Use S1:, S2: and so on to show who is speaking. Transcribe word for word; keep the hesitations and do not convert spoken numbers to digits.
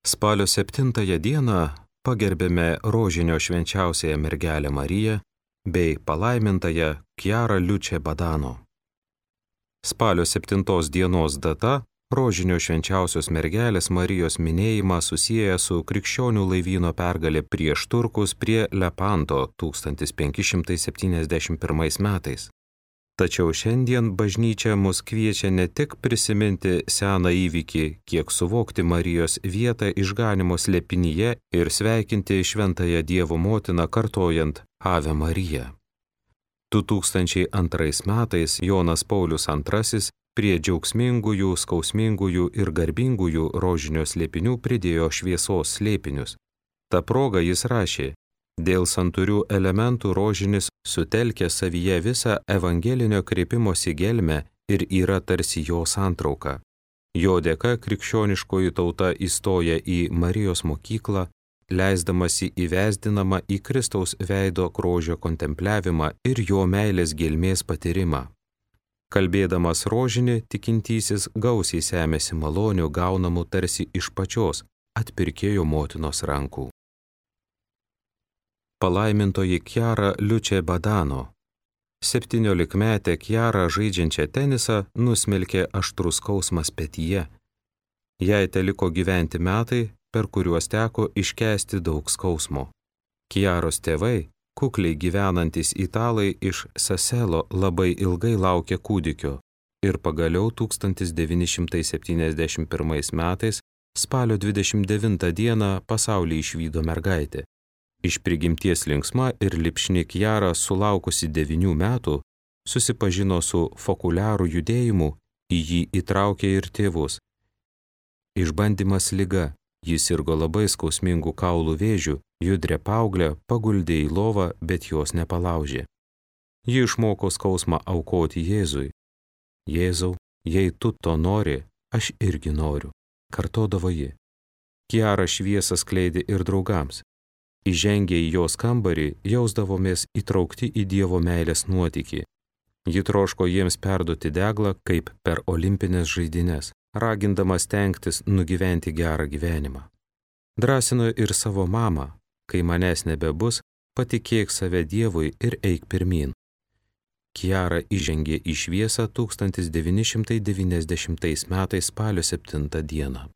S1: Spalio septintąją dieną pagerbėme rožinio švenčiausiąją mergelę Mariją bei palaimintąją Chiara Luce Badano. Spalio septintos dienos data rožinio švenčiausios mergelės Marijos minėjimą susieja su krikščionių laivyno pergalė prieš turkus prie Lepanto tūkstantis penki šimtai septyniasdešimt pirmais metais. Tačiau šiandien bažnyčia mus kviečia ne tik prisiminti seną įvykį, kiek suvokti Marijos vietą išganimo slėpinyje ir sveikinti šventąją Dievo motiną kartojant Ave Marija. du tūkstančiai antrais metais Jonas Paulius antrasis prie džiaugsmingųjų, skausmingųjų ir garbingųjų rožinio slėpinių pridėjo šviesos slėpinius. Ta proga jis rašė: dėl santūrių elementų rožinis sutelkia savyje visą evangelinio kreipimosi gelmę ir yra tarsi jo santrauka. Jo dėka krikščioniškoji tauta įstoja į Marijos mokyklą, leisdamasi įvesdinama į Kristaus veido grožio kontempliavimą ir jo meilės gelmės patyrimą. Kalbėdamas rožinį, tikintysis gausiai semėsi malonių gaunamų tarsi iš pačios atpirkėjo motinos rankų. Palaimintoji Chiara Luce Badano. Septyniolikmetę Chiarą žaidžiančią tenisą nusmelkė aštrus skausmas petyje. Jai teliko gyventi metai, per kuriuos teko iškęsti daug skausmo. Chiaros tėvai, kukliai gyvenantys italai iš Saselo, labai ilgai laukė kūdikio ir pagaliau tūkstantis devyni šimtai septyniasdešimt pirmais metais spalio dvidešimt devintą dieną pasaulį išvydo mergaitė. Iš prigimties linksma ir lipšni Chiara, sulaukusi devynių metų, susipažino su fokuliarų judėjimu, į jį įtraukė ir tėvus. Išbandymas liga, jis sirgo labai skausmingų kaulų vėžių, judrę paauglę paguldė į lovą, bet jos nepalaužė. Ji išmoko skausmą aukoti Jėzui. Jėzau, jei tu to nori, aš irgi noriu, kartodavo ji. Chiara šviesą skleidė ir draugams. Įžengę į jos kambarį, jausdavomės įtraukti į Dievo meilės nuotykį. Ji troško jiems perduoti deglą kaip per olimpines žaidynes, ragindama stengtis nugyventi gerą gyvenimą. Drąsino ir savo mamą: kai manęs nebebus, patikėk save Dievui ir eik pirmyn. Chiara įžengė į šviesą tūkstantis devyni šimtai devyniasdešimtais metais spalio septintą dieną.